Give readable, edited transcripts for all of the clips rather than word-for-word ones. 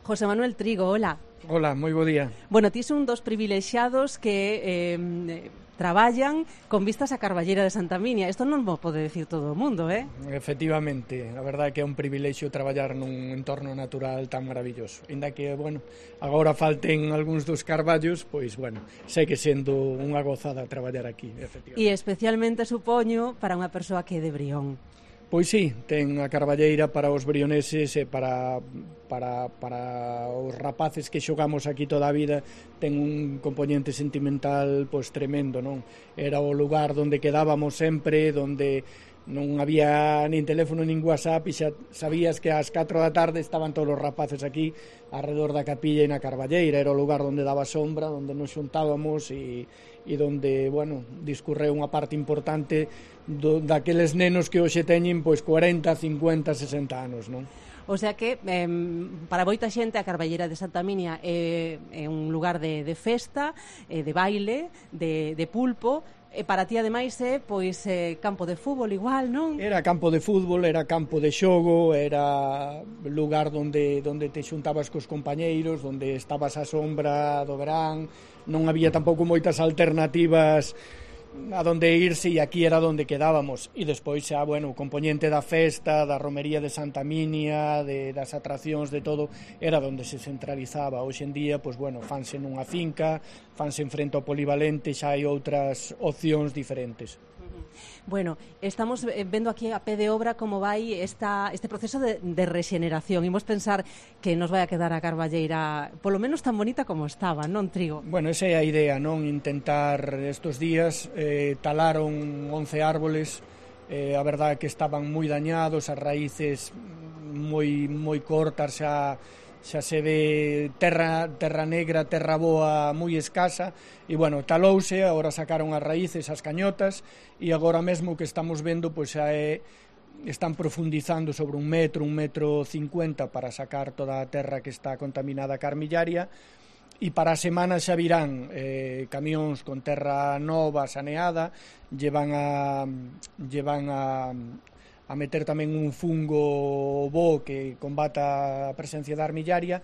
José Manuel Trigo, hola. Hola, moi bo día. Bueno, ti son un dos privilexiados que traballan con vistas a Carballeira de Santa Minia. Isto non mo pode decir todo o mundo, Efectivamente, a verdade é que é un privilexio traballar nun entorno natural tan maravilloso. Inda que, bueno, agora falten algúns dos carballos, pois, bueno, segue sendo unha gozada traballar aquí, efectivamente. E especialmente, supoño, para unha persoa que é de Brión. Pois sí, ten a carballeira para os brioneses e para os rapaces que xogamos aquí toda a vida, ten un componente sentimental pois tremendo, non? Era o lugar onde quedábamos sempre, onde non había nin teléfono nin WhatsApp e xa sabías que ás 4 da tarde estaban todos os rapaces aquí alrededor da capilla e na carballeira. Era o lugar onde daba sombra, onde nos xuntábamos e onde, bueno, discurreu unha parte importante daqueles nenos que hoxe teñen pois 40, 50, 60 anos, non? O sea que, para moita xente, a Carballeira de Santa Minia é un lugar de festa, de baile, de pulpo, e para ti, ademais, é pois campo de fútbol igual, non? Era campo de fútbol, era campo de xogo, era lugar onde te xuntabas cos compañeiros, onde estabas á sombra do verán, non había tampouco moitas alternativas a donde irse e aquí era donde quedábamos. E despois xa, bueno, o componente da festa, da romería de Santa Minia, das atraccións, de todo, era donde se centralizaba. Hoxe en día, pois, bueno, fanse nunha finca, fanse en frente ao polivalente, xa hai outras opcións diferentes. Bueno, estamos vendo aquí a pé de obra como vai este proceso de rexeneración. Imos pensar que nos vai a quedar a Carballeira polo menos tan bonita como estaba, non, Trigo? Bueno, esa é a idea, non? Intentar estos días talaron 11 árboles, a verdade é que estaban moi dañados, as raíces moi cortas, xa se ve terra negra, terra boa moi escasa e, bueno, talouse, agora sacaron as raíces, as cañotas e agora mesmo que estamos vendo pois xa están profundizando sobre 1 metro, 1,50 m para sacar toda a terra que está contaminada ca armillaria e para a semana xa virán camións con terra nova, saneada, llevan a meter tamén un fungo bo que combata a presencia da armillaria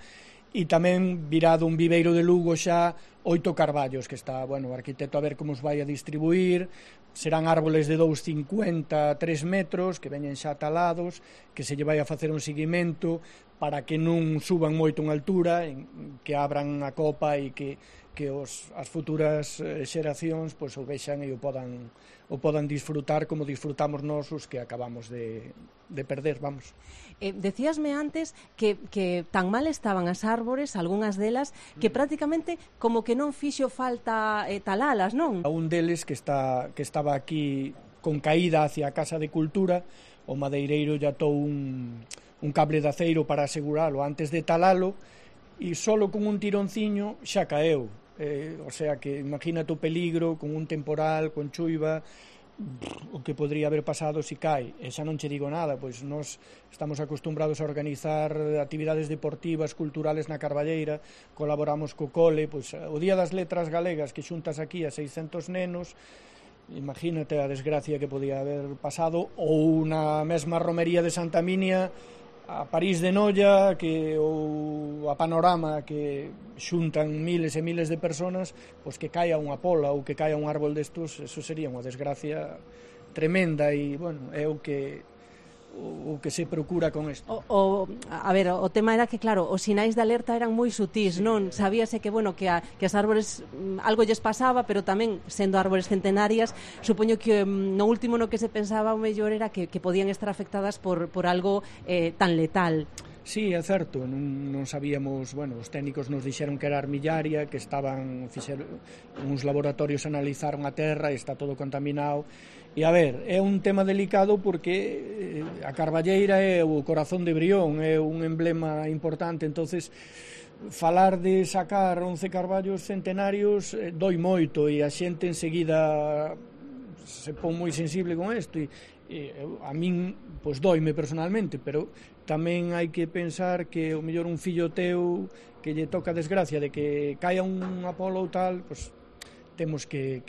e tamén virá dun viveiro de Lugo xa 8 carballos que está, bueno, o arquitecto a ver como os vai a distribuir. Serán árboles de 2,50 a 3 metros que veñen xa talados, que se lle vai a facer un seguimento para que non suban moito en altura, que abran a copa e que as futuras xeracións pois o vexan e o podan disfrutar como disfrutamos nós os que acabamos de perder, vamos. Decíasme antes que tan mal estaban as árbores, algunhas delas, que prácticamente como que non fixo falta talalas, non? Un deles que estaba aquí con caída hacia a Casa de Cultura, o madeireiro lle atou un cable de aceiro para aseguralo antes de talalo e solo con un tironciño xa caeu. O sea que imagínate o peligro con un temporal, con chuiva, o que podría haber pasado se cae. E xa non che digo nada, pois nós estamos acostumbrados a organizar actividades deportivas, culturales na Carballeira, colaboramos co cole, pois o Día das Letras Galegas que xuntas aquí a 600 nenos, imagínate a desgracia que podía haber pasado, ou na mesma romería de Santa Minia, a París de Noia, ou a Panorama, que xuntan miles e miles de personas, pois que caia unha pola ou que caia un árbol destos, eso sería unha desgracia tremenda e, bueno, é o que se procura con isto. A ver, o tema era que, claro, os sinais de alerta eran moi sutís, non? Sabíase que, bueno, que as árbores algo lles pasaba, pero tamén, sendo árbores centenarias, supoño que no último no que se pensaba o mellor era que podían estar afectadas por algo tan letal. Sí, é certo, non sabíamos, bueno, os técnicos nos dixeron que era armillaria, que fixeron uns laboratorios, analizaron a terra e está todo contaminado. E a ver, é un tema delicado porque a Carballeira é o corazón de Brión, é un emblema importante, entonces falar de sacar 11 carballos centenarios doi moito e a xente enseguida se pon moi sensible con isto e a min pois doime personalmente, pero tamén hai que pensar que o mellor un fillo teu que lle toca a desgracia de que caia unha pola ou tal, pois temos que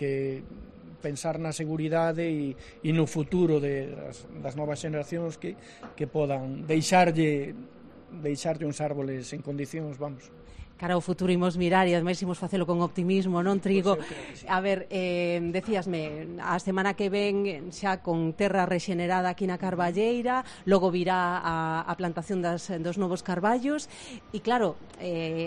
pensar na seguridade e no futuro das novas xeneracións que podan deixarlle deixarlle uns árboles en condicións, vamos. Cara ao futuro imos mirar e ademais imos facelo con optimismo, non, Trigo? Pois eu creo que sí. A ver, decíasme, a semana que ven xa con terra rexenerada aquí na Carballeira, logo virá a plantación dos novos carballos e claro,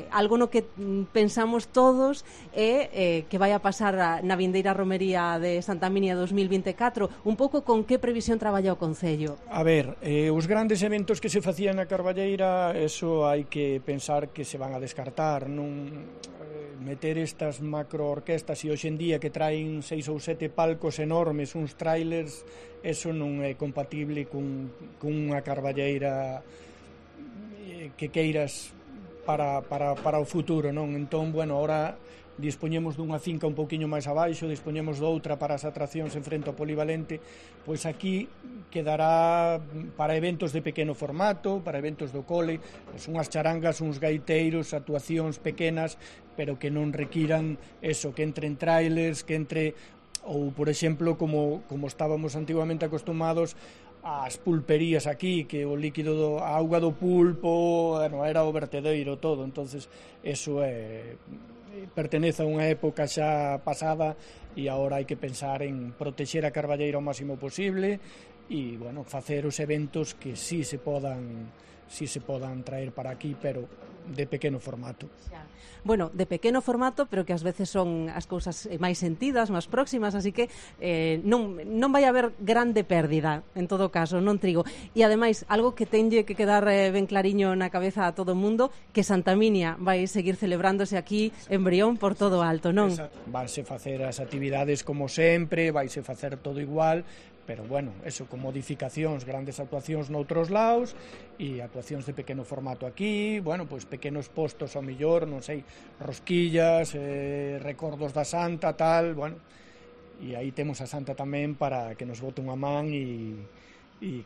algo no que pensamos todos é que vai a pasar na vindeira romería de Santa Minia 2024, un pouco con que previsión traballa o Concello? A ver, os grandes eventos que se facían na Carballeira, eso hai que pensar que se van a descartar, non meter estas macroorquestas e hoxe en día que traen 6 ou 7 palcos enormes, uns trailers, eso non é compatible con unha Carballeira que queiras para o futuro, non? Entón, bueno, ahora dispoñemos dunha finca un pouquiño máis abaixo, dispoñemos doutra para as atraccións en frente ao polivalente, pois aquí quedará para eventos de pequeno formato, para eventos do cole, pois unhas charangas, uns gaiteiros, actuacións pequenas, pero que non requiran eso, que entren trailers, que entre, ou por exemplo, como estábamos antiguamente acostumados, as pulperías aquí, que o líquido, a auga do pulpo, bueno, era o vertedeiro todo, entonces eso pertenece a unha época xa pasada e agora hai que pensar en protexer a Carballeira o máximo posible e, bueno, facer os eventos que sí se podan traer para aquí, pero de pequeno formato. Bueno, de pequeno formato, pero que ás veces son as cousas máis sentidas, máis próximas, así que non vai haber grande pérdida, en todo caso, non, Trigo. E ademais, algo que tenlle que quedar ben clariño na cabeza a todo o mundo, que Santa Minia vai seguir celebrándose aquí en Brión por todo alto, non? Vanse facer as actividades como sempre, vaise facer todo igual, pero bueno, eso, con modificacións, grandes actuacións noutros lados e actuacións de pequeno formato aquí, bueno, pois pequenos postos ao millor, non sei, rosquillas, recordos da Santa, tal, bueno, e aí temos a Santa tamén para que nos bote unha man e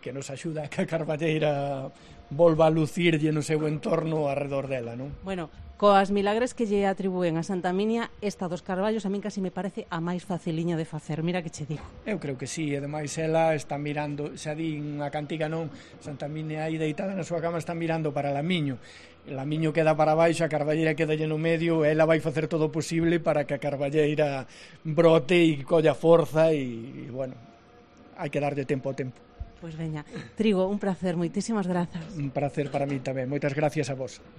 que nos axuda a que a Carballeira volva a lucirlle no seu entorno arredor dela, non? Bueno, coas milagres que lle atribúen a Santa Minia, esta dos carballos a min casi me parece a máis faciliña de facer, mira que che digo. Eu creo que sí, e ademais ela está mirando, xa di unha cantiga non, Santa Minia aí deitada na súa cama está mirando para Lamiño, Lamiño queda para baixo, a Carballeira queda no medio, ela vai facer todo o posible para que a Carballeira brote e colla forza e bueno, hai que darlle tempo ao tempo. Pois veña, Trigo, un placer, moitísimas grazas. Un placer para mí tamén, moitas gracias a vos.